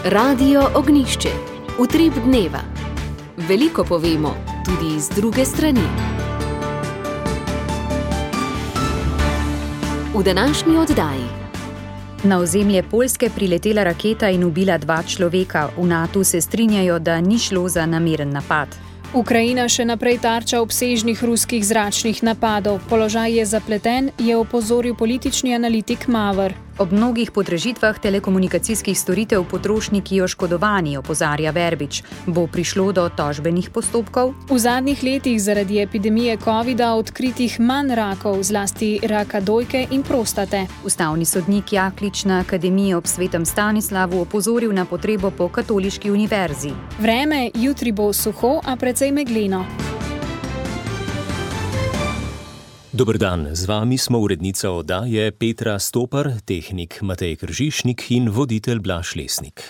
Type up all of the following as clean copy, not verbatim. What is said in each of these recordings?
Radio Ognjišče. Utrip dneva. Veliko povemo, tudi z druge strani. V današnji oddaji. Na ozemlje Poljske priletela raketa in ubila 2 človeka. V NATO se strinjajo, da ni šlo za nameren napad. Ukrajina še naprej tarča obsežnih ruskih zračnih napadov. Položaj je zapleten, je opozoril politični analitik Mavr. Ob mnogih podražitvah telekomunikacijskih storitev potrošniki oškodovani, opozarja Verbič. Bo prišlo do tožbenih postopkov? V zadnjih letih zaradi epidemije covida odkritih manj rakov, zlasti raka dojke in prostate. Ustavni sodnik Jaklič na Akademiji ob Svetem Stanislavu opozoril na potrebo po katoliški univerzi. Vreme, jutri bo suho, a precej megleno. Dober dan, z vami smo urednica oddaje Petra Stopar, tehnik Matej Kržišnik in voditelj Blaž Lesnik.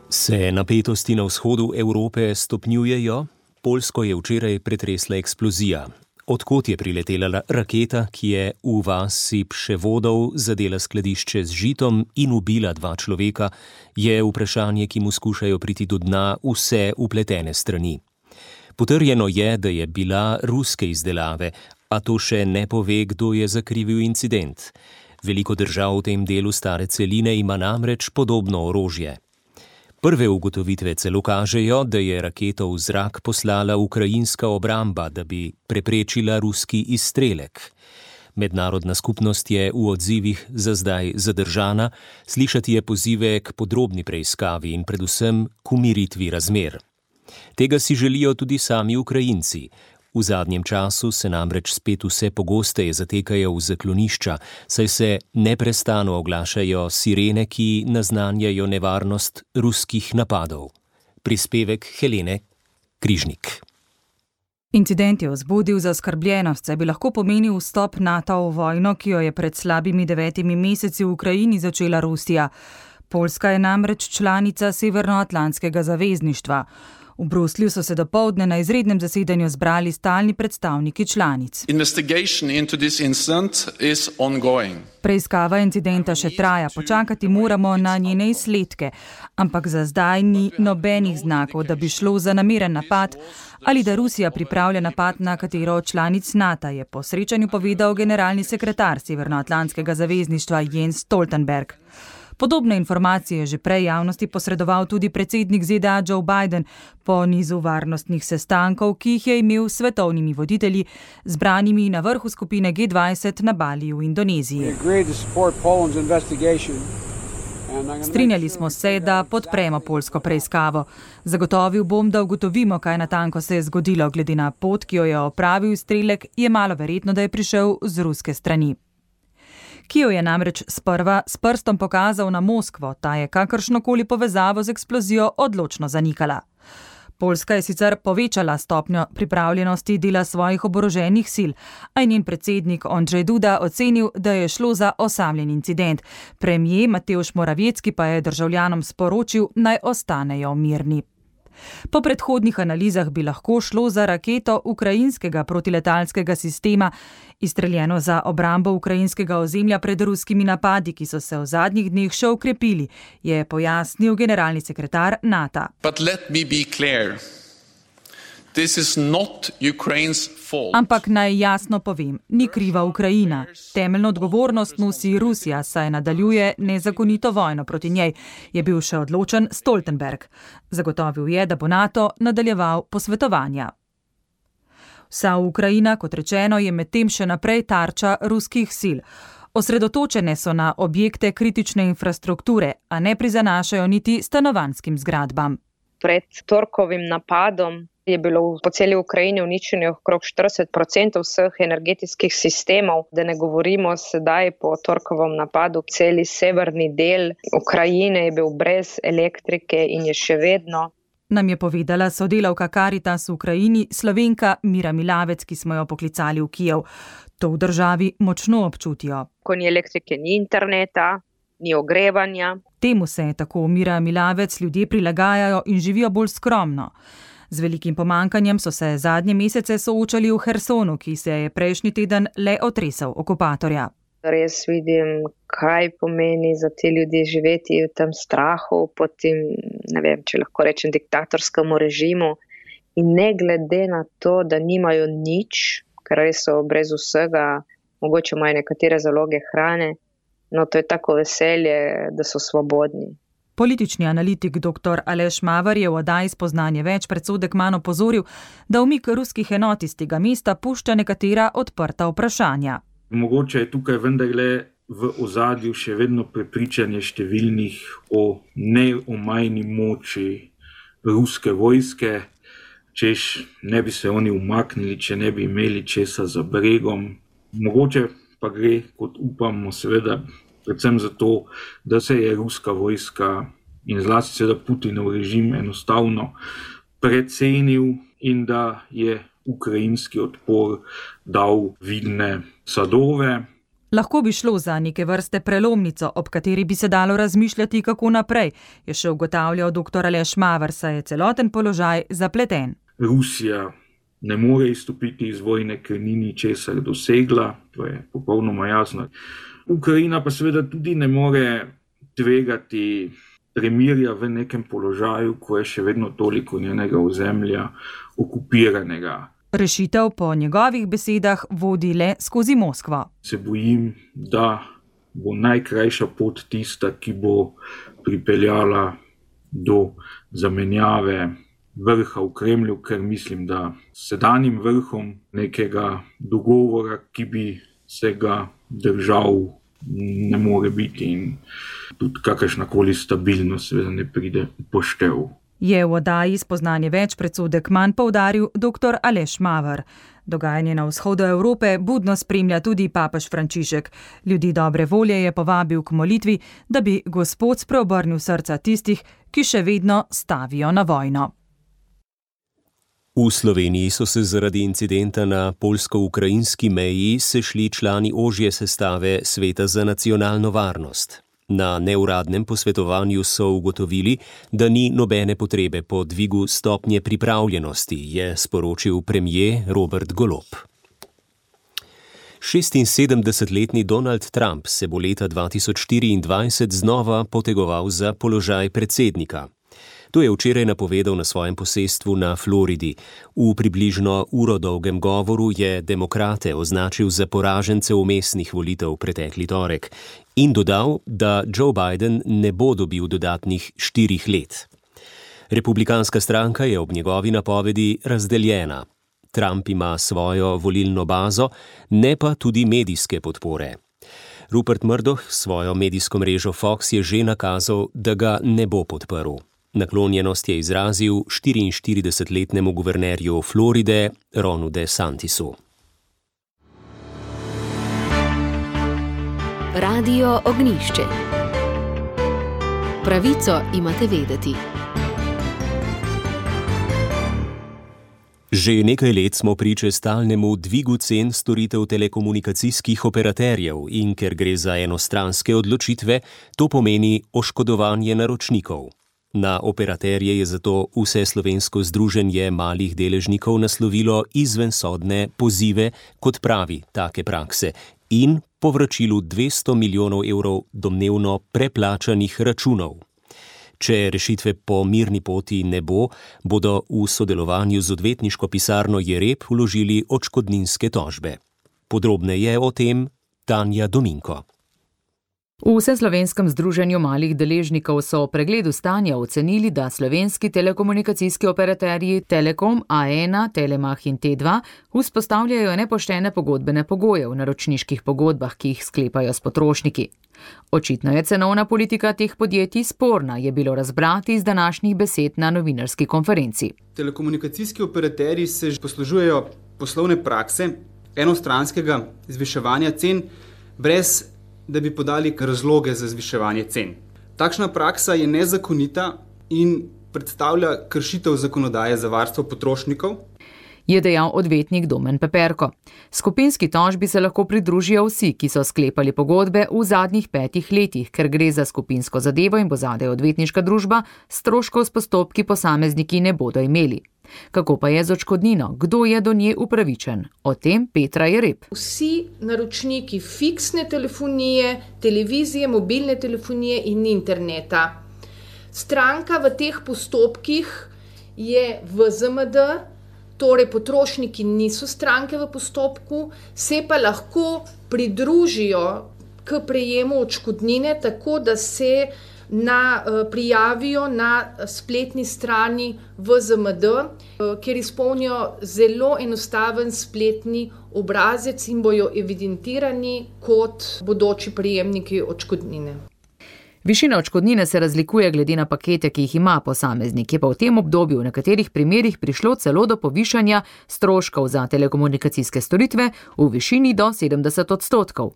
Se napetosti na vzhodu Evrope stopnjujejo? Poljsko je včeraj pretresla eksplozija. Odkot je priletela raketa, ki je v vasi Pševodov zadela skladišče z žitom in ubila 2 človeka, je vprašanje, ki mu skušajo priti do dna vse vpletene strani. Potrjeno je, da je bila ruske izdelave, a to še ne pove, kdo je zakrivil incident. Veliko držav v tem delu stare celine ima namreč podobno orožje. Prve ugotovitve celo kažejo, da je raketo v zrak poslala ukrajinska obramba, da bi preprečila ruski izstrelek. Mednarodna skupnost je v odzivih za zdaj zadržana, slišati je pozive k podrobni preiskavi in predvsem k umiritvi razmer. Tega si želijo tudi sami Ukrajinci. V zadnjem času se namreč spet vse pogosteje zatekajo v zaklonišča, saj se neprestano oglašajo sirene, ki naznanjajo nevarnost ruskih napadov. Prispevek Helene Križnik. Incident je vzbudil zaskrbljenost, saj bi lahko pomenil vstop NATO v vojno, ki jo je pred slabimi 9 meseci v Ukrajini začela Rusija. Poljska je namreč članica Severnoatlantskega zavezništva. V Bruslju so se dopoldne na izrednem zasedanju zbrali stalni predstavniki članic. Preiskava incidenta še traja, počakati moramo na njene izsledke, ampak za zdaj ni nobenih znakov, da bi šlo za nameren napad ali da Rusija pripravlja napad na katero od članic NATO, je po srečanju povedal generalni sekretar Severnoatlantskega zavezništva Jens Stoltenberg. Podobne informacije je že prej javnosti posredoval tudi predsednik ZDA Joe Biden po nizu varnostnih sestankov, ki jih je imel s svetovnimi voditelji, zbranimi na vrhu skupine G20 na Baliju v Indoneziji. Strinjali smo se, da podpremo poljsko preiskavo. Zagotovil bom, da ugotovimo, kaj natanko se je zgodilo. Glede na pot, ki jo je opravil strelek, je malo verjetno, da je prišel z ruske strani. Kijev je namreč sprva s prstom pokazal na Moskvo, ta je kakršnokoli povezavo z eksplozijo odločno zanikala. Poljska je sicer povečala stopnjo pripravljenosti dela svojih oboroženih sil, a je njen predsednik Andrzej Duda ocenil, da je šlo za osamljen incident. Premier Mateusz Morawiecki pa je državljanom sporočil, naj ostanejo mirni. Po predhodnih analizah bi lahko šlo za raketo ukrajinskega protiletalskega sistema, izstreljeno za obrambo ukrajinskega ozemlja pred ruskimi napadi, ki so se v zadnjih dneh še okrepili, je pojasnil generalni sekretar NATO. Ampak naj jasno povem, ni kriva Ukrajina. Temeljno odgovornost nosi Rusija, saj nadaljuje nezakonito vojno proti njej, je bil še odločen Stoltenberg. Zagotovil je, da bo NATO nadaljeval posvetovanja. Vsa Ukrajina, kot rečeno, je medtem še naprej tarča ruskih sil. Osredotočene so na objekte kritične infrastrukture, a ne prizanašajo niti stanovanjskim zgradbam. Pred torkovim napadom je bilo po celi Ukrajini uničenih okrog 40% vseh energetskih sistemov, da ne govorimo sedaj po torkovem napadu. Celi severni del Ukrajine je bil brez elektrike in je še vedno. Nam je povedala sodelavka Caritas v Ukrajini, Slovenka Mira Milavec, ki smo jo poklicali v Kijev. To v državi močno občutijo. Ko ni elektrike, ni interneta, ni ogrevanja. Temu se, tako Mira Milavec, ljudje prilagajajo in živijo bolj skromno. Z velikim pomankanjem so se zadnje mesece soočali v Hersonu, ki se je prejšnji teden le otresel okupatorja. res vidim, kaj pomeni za te ljudi živeti v tem strahu, pod tem, ne vem, če lahko rečem, diktatorskemu režimu. In ne glede na to, da nimajo nič, ker res so brez vsega, mogoče imajo nekatere zaloge hrane, no to je tako veselje, da so svobodni. Politični analitik dr. Aleš Maver je v oddaji Spoznanje več pred Sodek manj opozoril, da umik ruskih enot iz tega mesta pušča nekatera odprta vprašanja. Mogoče je tukaj vendarle v ozadju še vedno prepričanje številnih o neomajni moči ruske vojske, češ ne bi se oni umaknili, če ne bi imeli česa za bregom. Mogoče pa gre, kot upamo, seveda, predvsem zato, da se je ruska vojska in zlasti seveda Putinov režim enostavno precenil in da je ukrajinski odpor dal vidne sadove. Lahko bi šlo za neke vrste prelomnico, ob kateri bi se dalo razmišljati, kako naprej, je še ugotavljal dr. Aleš Maver, saj je celoten položaj zapleten. Rusija ne more izstopiti iz vojne, ker ni ničesar dosegla, to je popolnoma jasno. Ukrajina pa seveda tudi ne more tvegati premirja v nekem položaju, ko je še vedno toliko njenega ozemlja okupiranega. Rešitev po njegovih besedah vodi le skozi Moskvo. Se bojim, da bo najkrajša pot tista, ki bo pripeljala do zamenjave vrha v Kremlju, ker mislim, da s sedanjim vrhom nekega dogovora, ki bi se ga držal, ne more biti in tudi kakršnakoli stabilnost ne pride v poštev. Je v oddaji Spoznanje več pred Sodek manj poudaril dr. Aleš Maver. Dogajanje na vzhodu Evrope budno spremlja tudi papež Frančišek. Ljudi dobre volje je povabil k molitvi, da bi Gospod spreobrnil srca tistih, ki še vedno stavijo na vojno. V Sloveniji so se zaradi incidenta na poljsko-ukrajinski meji sešli člani ožje sestave Sveta za nacionalno varnost. Na neuradnem posvetovanju so ugotovili, da ni nobene potrebe po dvigu stopnje pripravljenosti, je sporočil premier Robert Golob. 76-letni Donald Trump se bo leta 2024 znova potegoval za položaj predsednika. To je včeraj napovedal na svojem posestvu na Floridi. V približno uro dolgem govoru je demokrate označil za poražence vmesnih volitev pretekli torek in dodal, da Joe Biden ne bo dobil dodatnih 4 let. Republikanska stranka je ob njegovi napovedi razdeljena. Trump ima svojo volilno bazo, ne pa tudi medijske podpore. Rupert Murdoch svojo medijsko mrežo Fox je že nakazal, da ga ne bo podprl. Naklonjenost je izrazil 44-letnemu guvernerju Floride Ronu DeSantisu. Radio Ognjišče. Pravico imate vedeti. Že nekaj let smo priče stalnemu dvigu cen storitev telekomunikacijskih operaterjev in ker gre za enostranske odločitve, to pomeni oškodovanje naročnikov. Na operaterje je zato Vseslovensko združenje malih deležnikov naslovilo izvensodne pozive kot pravi take prakse in povračilu 200 milijonov evrov domnevno preplačanih računov. Če rešitve po mirni poti ne bo, bodo v sodelovanju z odvetniško pisarno Jereb vložili odškodninske tožbe. Podrobneje o tem Tanja Dominko. V Vseslovenskem združenju malih deležnikov so o pregledu stanja ocenili, da slovenski telekomunikacijski operaterji Telekom, A1, Telemach in T2 vzpostavljajo nepoštene pogodbene pogoje v naročniških pogodbah, ki jih sklepajo s potrošniki. Očitno je cenovna politika teh podjetij sporna, je bilo razbrati iz današnjih besed na novinarski konferenci. Telekomunikacijski operaterji se poslužujejo poslovne prakse enostranskega zviševanja cen brez da bi podali razloge za zviševanje cen. Takšna praksa je nezakonita in predstavlja kršitev zakonodaje za varstvo potrošnikov, je dejal odvetnik Domen Peperko. Skupinski tožbi se lahko pridružijo vsi, ki so sklepali pogodbe v zadnjih 5 letih, ker gre za skupinsko zadevo in bo zadaj odvetniška družba, stroškov s postopki posamezniki ne bodo imeli. Kako pa je z odškodnino? Kdo je do nje upravičen? O tem Petra Jereb. Vsi naročniki fiksne telefonije, televizije, mobilne telefonije in interneta. Stranka v teh postopkih je VZMD, torej potrošniki niso stranke v postopku, se pa lahko pridružijo k prejemu odškodnine, tako da se prijavijo na spletni strani VZMD, kjer izpolnijo zelo enostaven spletni obrazec in bojo evidentirani kot bodoči prejemniki odškodnine. Višina odškodnine se razlikuje glede na pakete, ki jih ima posameznik, je pa v tem obdobju v nekaterih primerih prišlo celo do povišanja stroškov za telekomunikacijske storitve v višini do 70%.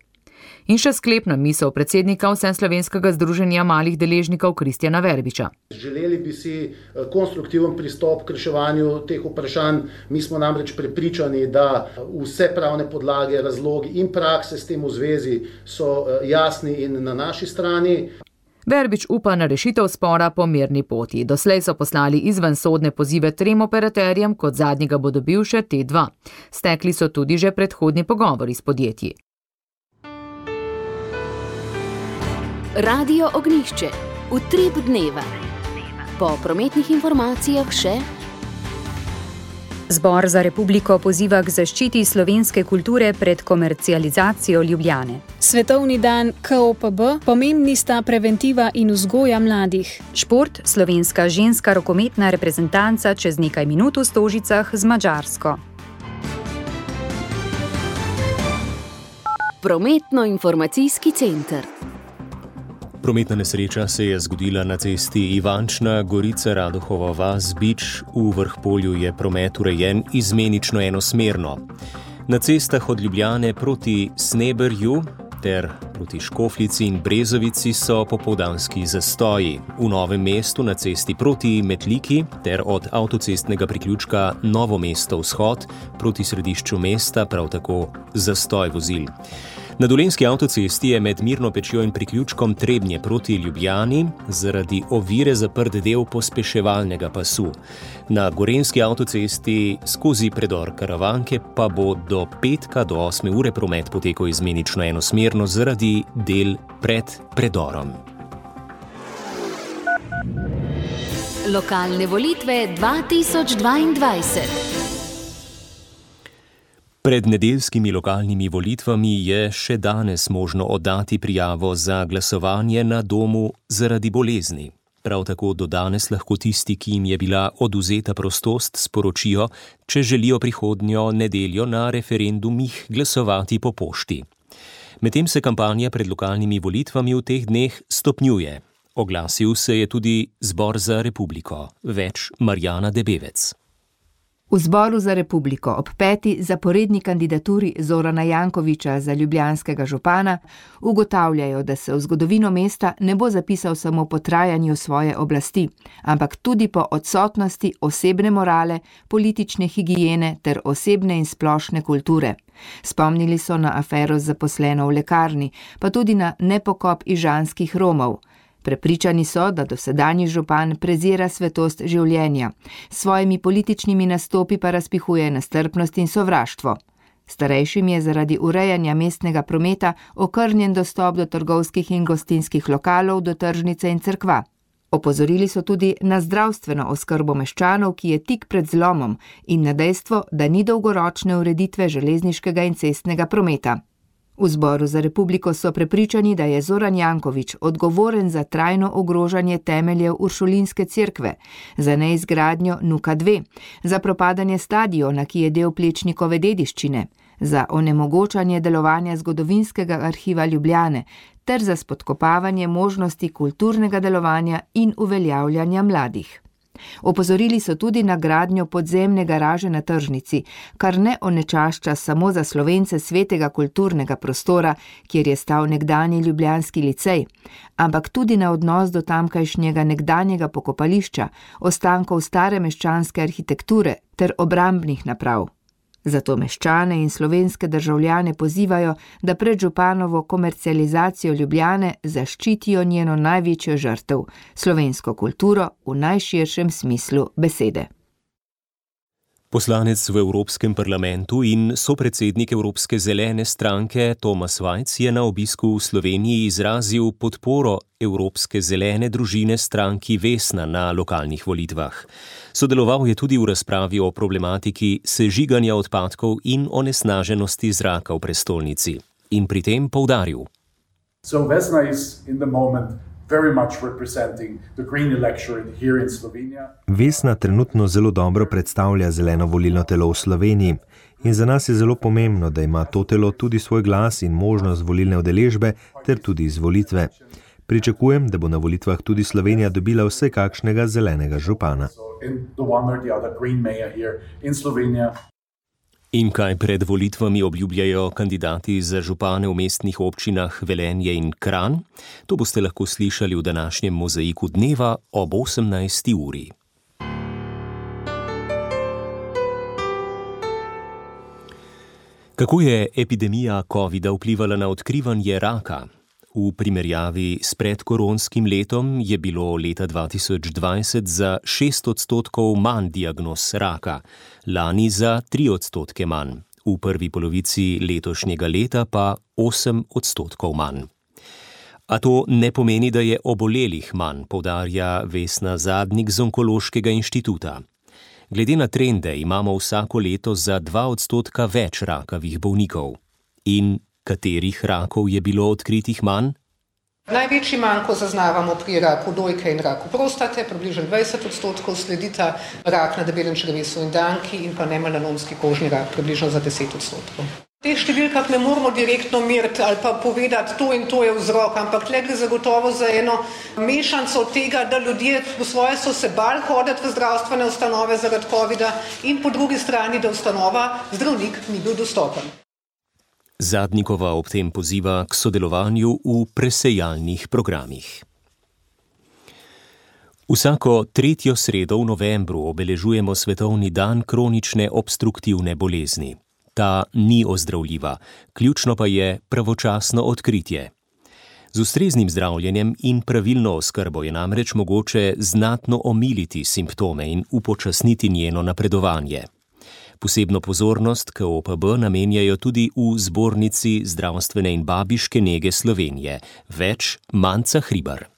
In še sklepna misel predsednika Vseslovenskega združenja malih deležnikov Kristjana Verbiča. Želeli bi si konstruktiven pristop k reševanju teh vprašanj. Mi smo namreč prepričani, da vse pravne podlage, razlogi in prakse s tem v zvezi so jasni in na naši strani. Verbič upa na rešitev spora po mirni poti. Doslej so poslali izvensodne pozive 3 operaterjem, kot zadnjega bo dobil še T2. Stekli so tudi že predhodni pogovori s podjetji. Radio Ognjišče. Utrip dneva. Po prometnih informacijah še. Zbor za republiko poziva k zaščiti slovenske kulture pred komercializacijo Ljubljane. Svetovni dan KOPB, pomembni sta preventiva in vzgoja mladih. Šport, slovenska ženska rokometna reprezentanca čez nekaj minut v Stožicah z Madžarsko. Prometno-informacijski center. Prometna nesreča se je zgodila na cesti Ivančna, Gorica, Radohova vas, Bič. V Vrhpolju je promet urejen izmenično enosmerno. Na cestah od Ljubljane proti Sneberju ter proti Škofljici in Brezovici so popoldanski zastoji. V Novem mestu na cesti proti Metliki ter od avtocestnega priključka Novo mesto vzhod proti središču mesta prav tako zastoj vozil. Na Dolenjski avtocesti je med Mirno Pečjo in priključkom Trebnje proti Ljubljani zaradi ovire zaprt del pospeševalnega pasu. Na Gorenjski avtocesti skozi predor Karavanke pa bo do petka do 8 ure promet potekal izmenično enosmerno zaradi del pred predorom. Lokalne volitve 2022. Pred nedeljskimi lokalnimi volitvami je še danes možno oddati prijavo za glasovanje na domu zaradi bolezni. Prav tako do danes lahko tisti, ki jim je bila odvzeta prostost, sporočijo, če želijo prihodnjo nedeljo na referendumih glasovati po pošti. Medtem se kampanja pred lokalnimi volitvami v teh dneh stopnjuje. Oglasil se je tudi Zbor za republiko. Več Marjana Debevec. V Zboru za republiko ob 5. zaporedni kandidaturi Zorana Jankovića za ljubljanskega župana ugotavljajo, da se v zgodovino mesta ne bo zapisal samo po trajanju svoje oblasti, ampak tudi po odsotnosti osebne morale, politične higiene ter osebne in splošne kulture. Spomnili so na afero z zaposleno v lekarni, pa tudi na nepokop ižanskih Romov. Prepričani so, da dosedanji župan prezira svetost življenja, s svojimi političnimi nastopi pa razpihuje nestrpnost in sovraštvo. Starejšim je zaradi urejanja mestnega prometa okrnjen dostop do trgovskih in gostinskih lokalov, do tržnice in cerkva. Opozorili so tudi na zdravstveno oskrbo meščanov, ki je tik pred zlomom, in na dejstvo, da ni dolgoročne ureditve železniškega in cestnega prometa. V Zboru za republiko so prepričani, da je Zoran Janković odgovoren za trajno ogrožanje temeljev Uršulinske cerkve, za neizgradnjo Nuka 2, za propadanje stadiona, ki je del Plečnikove dediščine, za onemogočanje delovanja zgodovinskega arhiva Ljubljane ter za spodkopavanje možnosti kulturnega delovanja in uveljavljanja mladih. Opozorili so tudi na gradnjo podzemne garaže na tržnici, kar ne onečašča samo za Slovence svetega kulturnega prostora, kjer je stal nekdanji ljubljanski licej, ampak tudi na odnos do tamkajšnjega nekdanjega pokopališča, ostankov stare meščanske arhitekture ter obrambnih naprav. Zato meščane in slovenske državljane pozivajo, da pred županovo komercializacijo Ljubljane zaščitijo njeno največjo žrtev, slovensko kulturo v najširšem smislu besede. Poslanec v Evropskem parlamentu in sopredsednik Evropske zelene stranke Thomas Vajc je na obisku v Sloveniji izrazil podporo Evropske zelene družine stranki Vesna na lokalnih volitvah. Sodeloval je tudi v razpravi o problematiki sežiganja odpadkov in onesnaženosti zraka v prestolnici. In pri tem poudaril. So Vesna is in the moment very much representing the green electorate here in Slovenia. Vesna trenutno zelo dobro predstavlja zeleno volilno telo v Sloveniji in za nas je zelo pomembno, da ima to telo tudi svoj glas in možnost volilne udeležbe ter tudi izvolitve. Pričakujem, da bo na volitvah tudi Slovenija dobila vse kakšnega zelenega župana. In kaj pred volitvami obljubljajo kandidati za župane v mestnih občinah Velenje in Kranj? To boste lahko slišali v današnjem Mozaiku dneva ob 18. uri. Kako je epidemija covida vplivala na odkrivanje raka? V primerjavi s predkoronskim letom je bilo leta 2020 za 6% manj diagnoz raka, lani za 3% manj, v prvi polovici letošnjega leta pa 8% manj. A to ne pomeni, da je obolelih manj, poudarja Vesna Zadnik z Onkološkega inštituta. Glede na trende imamo vsako leto za 2% več rakavih bolnikov. In katerih rakov je bilo odkritih manj? Največji manko zaznavamo pri raku dojke in raku prostate, približno 20%, sledita rak na debelem črevesu in danki in pa nemelanomski kožni rak, približno za 10%. V teh številkah ne moramo direktno meriti ali pa povedati, to in to je vzrok, ampak le gre zagotovo za eno mešanico tega, da ljudje po svoje so se bali hoditi v zdravstvene ustanove zaradi covida in po drugi strani, da ustanova zdravnik ni bil dostopen. Zadnikova ob tem poziva k sodelovanju v presejalnih programih. Vsako 3. sredo v novembru obeležujemo Svetovni dan kronične obstruktivne bolezni. Ta ni ozdravljiva, ključno pa je pravočasno odkritje. Z ustreznim zdravljenjem in pravilno oskrbo je namreč mogoče znatno omiliti simptome in upočasniti njeno napredovanje. Posebno pozornost KOPB namenjajo tudi v Zbornici zdravstvene in babiške nege Slovenije. Več Manca Hribar.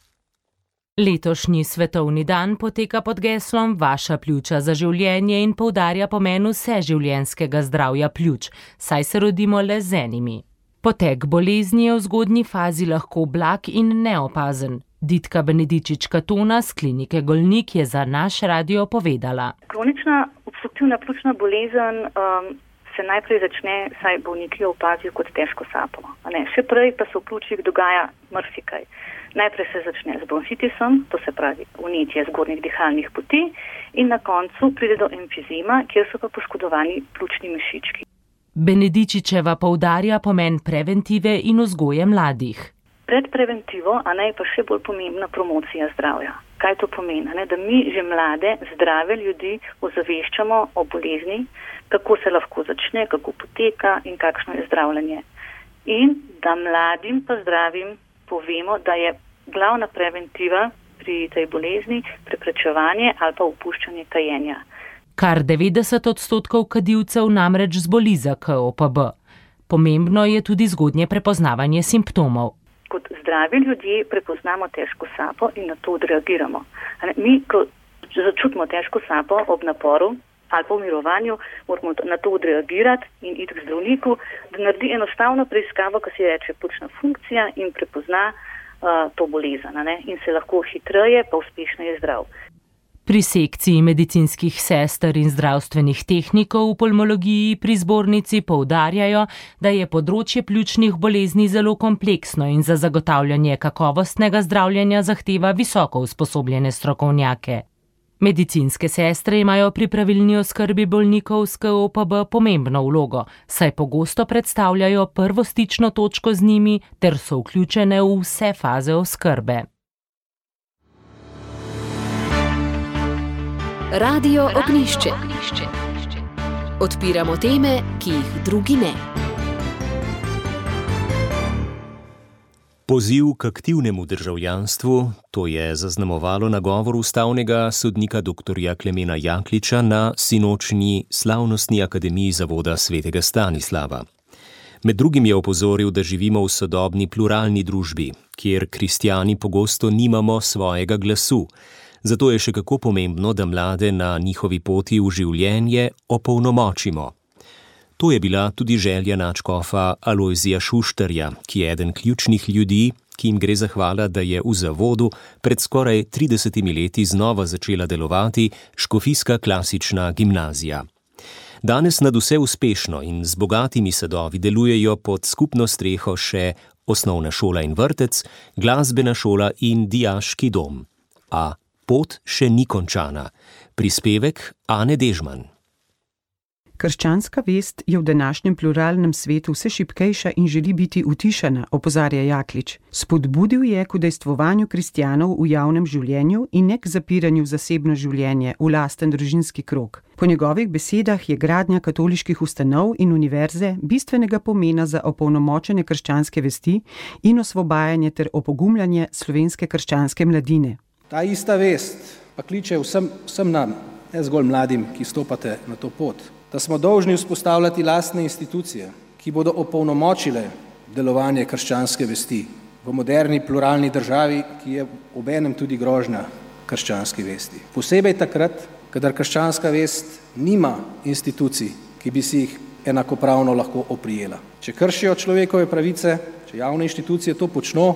Letošnji svetovni dan poteka pod geslom Vaša pljuča za življenje in poudarja pomen vseživljenjskega zdravja pljuč, saj se rodimo le z enimi. Potek bolezni je v zgodnji fazi lahko blag in neopazen. Ditka Benedičič-Katona z klinike Golnik je za naš radio povedala. Kronična obstruktivna pljučna bolezen se najprej začne, saj bolniki jo opazijo kot težko sapo. Še prej pa se v pljučih dogaja marsikaj. Najprej se začne z bronhitisom, to se pravi vnetje zgornjih dihalnih poti, in na koncu pride do emfizema, kjer so pa poškodovani pljučni mišički. Benedičičeva poudarja pomen preventive in vzgoje mladih. Pred preventivo, je pa še bolj pomembna promocija zdravja. Kaj to pomeni? Da mi že mlade, zdrave ljudi ozaveščamo o bolezni, kako se lahko začne, kako poteka in kakšno je zdravljenje. In da mladim pa zdravim povemo, da je glavna preventiva pri tej bolezni preprečevanje ali pa opuščanje kajenja. Kar 90% kadilcev namreč zboli za KOPB. Pomembno je tudi zgodnje prepoznavanje simptomov. Kot zdravi ljudje prepoznamo težko sapo in na to odreagiramo. Mi, ko začutimo težko sapo ob naporu ali pa v mirovanju, moramo na to odreagirati in iti k zdravniku, da naredi enostavno preiskavo, ki se reče pljučna funkcija in prepozna to bolezen in se lahko hitreje pa uspešneje zdrav. Pri sekciji medicinskih sester in zdravstvenih tehnikov v pulmologiji pri zbornici poudarjajo, da je področje pljučnih bolezni zelo kompleksno in za zagotavljanje kakovostnega zdravljenja zahteva visoko usposobljene strokovnjake. Medicinske sestre imajo pri pravilni oskrbi bolnikov s KOPB pomembno vlogo, saj pogosto predstavljajo prvo stično točko z njimi ter so vključene v vse faze oskrbe. Radio Ognjišče. Odpiramo teme, ki jih drugi ne. Poziv k aktivnemu državljanstvu, to je zaznamovalo nagovor ustavnega sodnika dr. Klemena Jakliča na sinočnji slavnostni akademiji zavoda svetega Stanislava. Med drugim je opozoril, da živimo v sodobni pluralni družbi, kjer kristjani pogosto nimamo svojega glasu. Zato je še kako pomembno, da mlade na njihovi poti v življenje opolnomočimo. To je bila tudi želja nadškofa Alojzija Šuštarja, ki je eden ključnih ljudi, ki jim gre zahvala, da je v zavodu pred skoraj 30 leti znova začela delovati škofijska klasična gimnazija. Danes nadvse uspešno in z bogatimi sadovi delujejo pod skupno streho še osnovna šola in vrtec, glasbena šola in dijaški dom. A pot še ni končana. Prispevek Ane Dežman. Krščanska vest je v današnjem pluralnem svetu vse šibkejša in želi biti utišana, opozarja Jaklič. Spodbudil je k udejstvovanju kristjanov v javnem življenju in ne k zapiranju v zasebno življenje, v lasten družinski krog. Po njegovih besedah je gradnja katoliških ustanov in univerze bistvenega pomena za opolnomočenje krščanske vesti in osvobajanje ter opogumljanje slovenske krščanske mladine. Ta ista vest pa kliče vsem nam, ne zgolj mladim, ki stopate na to pot, da smo dolžni vzpostavljati lastne institucije, ki bodo opolnomočile delovanje krščanske vesti v moderni pluralni državi, ki je obenem tudi grožnja krščanski vesti. Posebej takrat, kadar krščanska vest nima institucij, ki bi si jih enakopravno lahko oprijela. Če kršijo človekove pravice, če javne inštitucije to počno,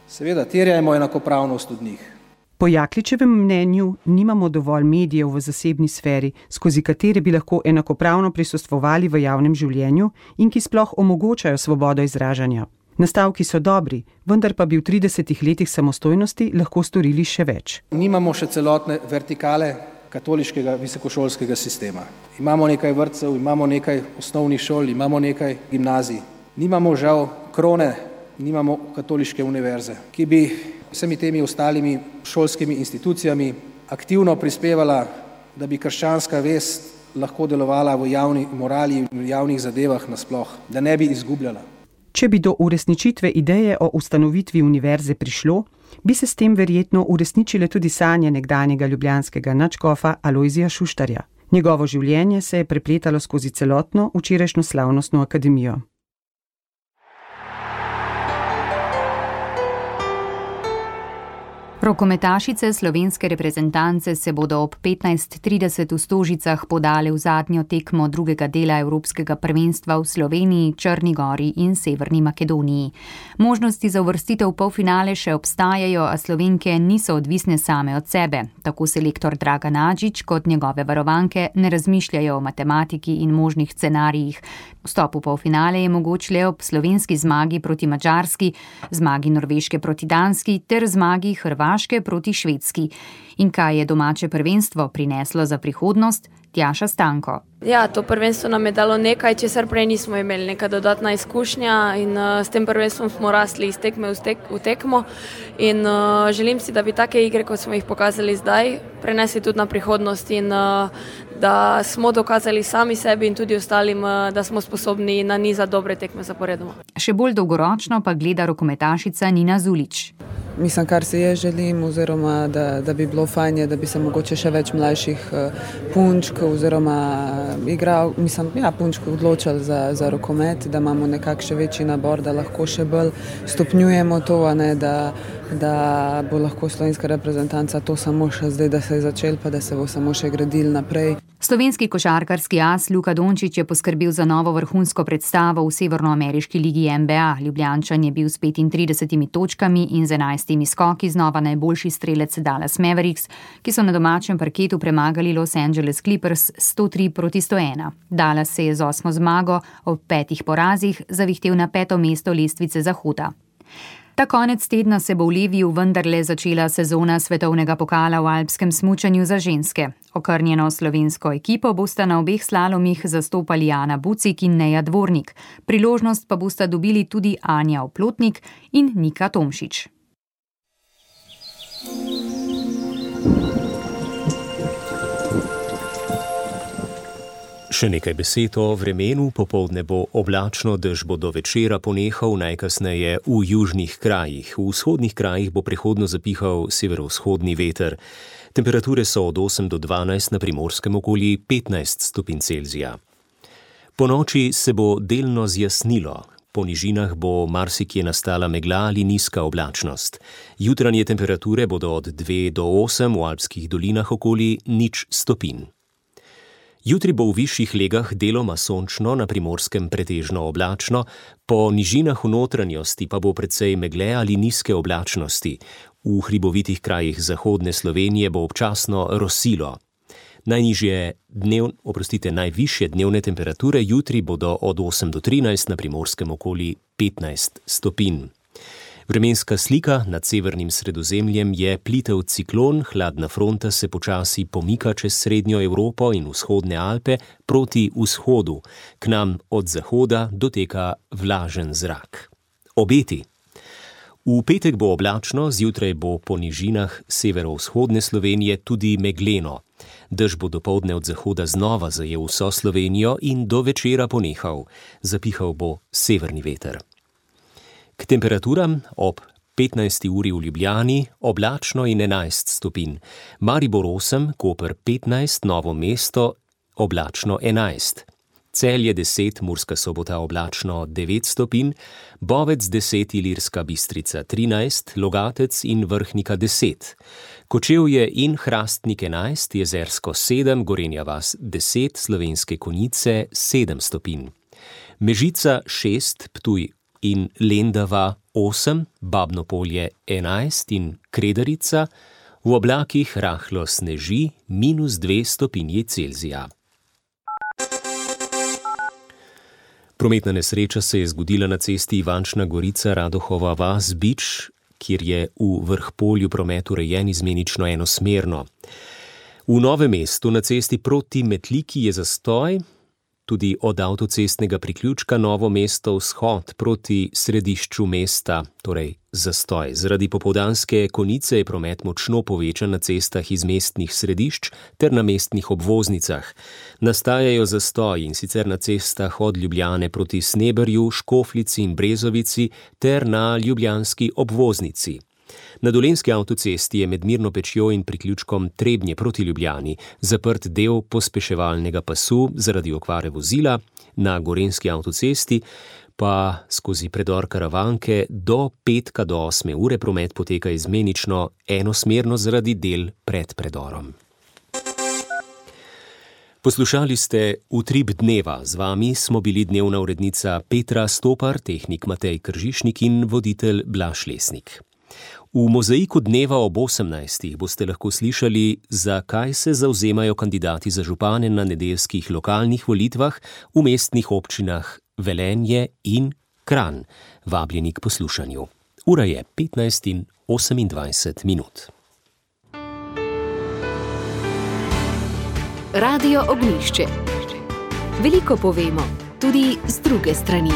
seveda terjajmo enakopravnost od njih. Po Jakličevem mnenju nimamo dovolj medijev v zasebni sferi, skozi katere bi lahko enakopravno prisostvovali v javnem življenju in ki sploh omogočajo svobodo izražanja. Nastavki so dobri, vendar pa bi v 30 letih samostojnosti lahko storili še več. Nimamo še celotne vertikale katoliškega visokošolskega sistema. Imamo nekaj vrtcev, imamo nekaj osnovnih šol, imamo nekaj gimnazij. Nimamo žal krone, nimamo katoliške univerze, ki bi vsemi temi ostalimi šolskimi institucijami aktivno prispevala, da bi krščanska vest lahko delovala v javni morali in v javnih zadevah nasploh, da ne bi izgubljala. Če bi do uresničitve ideje o ustanovitvi univerze prišlo, bi se s tem verjetno uresničile tudi sanje nekdanjega ljubljanskega nadškofa Alojzija Šuštarja. Njegovo življenje se je prepletalo skozi celotno včerajšnjo slavnostno akademijo. Rokometašice slovenske reprezentance se bodo ob 15:30 v Stožicah podale v zadnjo tekmo drugega dela Evropskega prvenstva v Sloveniji, Črni Gori in Severni Makedoniji. Možnosti za uvrstitev v polfinale še obstajajo, a Slovenke niso odvisne same od sebe. Tako selektor Dragan Adžič kot njegove varovanke ne razmišljajo o matematiki in možnih scenarijih. Vstop v polfinale je mogoč le ob slovenski zmagi proti Madžarski, zmagi Norveške proti Danski ter zmagi Hrvaške proti Švedski. In kaj je domače prvenstvo prineslo za prihodnost? Tjaša Stanko. Ja, to prvenstvo nam je dalo nekaj, česar prej nismo imeli, neka dodatna izkušnja in s tem prvenstvom smo rasli iz tekme v tekmo in želim si, da bi take igre, kot smo jih pokazali zdaj, prenesli tudi na prihodnost in da smo dokazali sami sebi in tudi ostalim, da smo sposobni nanizati dobre tekme zaporedoma. Še bolj dolgoročno pa gleda rokometašica Nina Zulić. Mislim, kar si jaz želim, oziroma da bi bilo fajn, da bi se mogoče še več mlajših punčk oziroma punčk odločili za rokomet, da imamo nekako še večji nabor, da lahko še bolj stopnjujemo to, a ne, da bo lahko slovenska reprezentanca to samo še zdaj, da se je začel, pa da se bo samo še gradil naprej. Slovenski košarkarski as Luka Dončić je poskrbel za novo vrhunsko predstavo v severnoameriški ligi NBA. Ljubljančan je bil s 35 točkami in z 11 skoki znova najboljši strelec Dallas Mavericks, ki so na domačem parketu premagali Los Angeles Clippers 103-101. Dallas se je z 8. zmago ob 5 porazih zavihtel na 5. mesto lestvice Zahoda. Ta konec tedna se bo v Leviju vendarle začela sezona svetovnega pokala v alpskem smučanju za ženske. Okrnjeno slovensko ekipo bosta na obeh slalomih zastopali Ana Bucik in Neja Dvornik. Priložnost pa bosta dobili tudi Anja Oplotnik in Nika Tomšič. Še nekaj besed o vremenu. Popoldne bo oblačno, dež bo do večera ponehal, najkasneje v južnih krajih. V vzhodnih krajih bo prehodno zapihal severovzhodni veter. Temperature so od 8 do 12, na Primorskem okoli 15 stopinj Celzija. Po noči se bo delno zjasnilo. Po nižinah bo marsikje nastala megla ali nizka oblačnost. Jutranje temperature bodo od 2 do 8, v alpskih dolinah okoli 0 stopinj. Jutri bo v višjih legah deloma sončno, na Primorskem pretežno oblačno, po nižinah v notranjosti pa bo precej megle ali nizke oblačnosti. V hribovitih krajih zahodne Slovenije bo občasno rosilo. Najvišje dnevne temperature jutri bodo od 8 do 13, na Primorskem okoli 15 stopinj. Vremenska slika nad severnim Sredozemljem je plitev ciklon, hladna fronta se počasi pomika čez srednjo Evropo in vzhodne Alpe proti vzhodu. K nam od zahoda doteka vlažen zrak. Obeti. V petek bo oblačno, zjutraj bo po nižinah severovzhodne Slovenije tudi megleno. Dež bo dopoldne od zahoda znova zajel vso Slovenijo in do večera ponehal. Zapihal bo severni veter. K temperaturam ob 15. uri v Ljubljani oblačno in 11 stopinj. Maribor 8, Koper 15, Novo mesto oblačno 11. Celje 10, Murska Sobota oblačno 9 stopinj, Bovec 10, Ilirska Bistrica 13, Logatec in Vrhnika 10. Kočevje in Hrastnik 11, Jezersko 7, Gorenja vas 10, Slovenske Konjice 7 stopinj. Mežica 6, Ptuj in Lendava 8, Babno Polje 11 in Kredarica, v oblakih rahlo sneži -2 stopinji Celzija. Prometna nesreča se je zgodila na cesti Ivančna Gorica Radohova vas Bič, kjer je v Vrhpolju promet urejen izmenično enosmerno. V Novem mestu na cesti proti Metliki je zastoj, tudi od avtocestnega priključka Novo mesto vzhod proti središču mesta, torej zastoj. Zaradi popoldanske konice je promet močno povečan na cestah iz mestnih središč ter na mestnih obvoznicah. Nastajajo zastoji in sicer na cestah od Ljubljane proti Sneberju, Škofljici in Brezovici ter na ljubljanski obvoznici. Na Dolenjski avtocesti je med Mirno Pečjo in priključkom Trebnje proti Ljubljani zaprt del pospeševalnega pasu zaradi okvare vozila, na Gorenjski avtocesti pa skozi predor Karavanke do petka do 8 ure promet poteka izmenično enosmerno zaradi del pred predorom. Poslušali ste Utrip dneva. Z vami smo bili dnevna urednica Petra Stopar, tehnik Matej Kržišnik in voditelj Blaž Lesnik. V mozaiku dneva ob 18. boste lahko slišali, zakaj se zavzemajo kandidati za župane na nedeljskih lokalnih volitvah v mestnih občinah Velenje in Kranj. Vabljeni k poslušanju. Ura je 15:28. Radio Ognjišče. Veliko povemo, tudi z druge strani.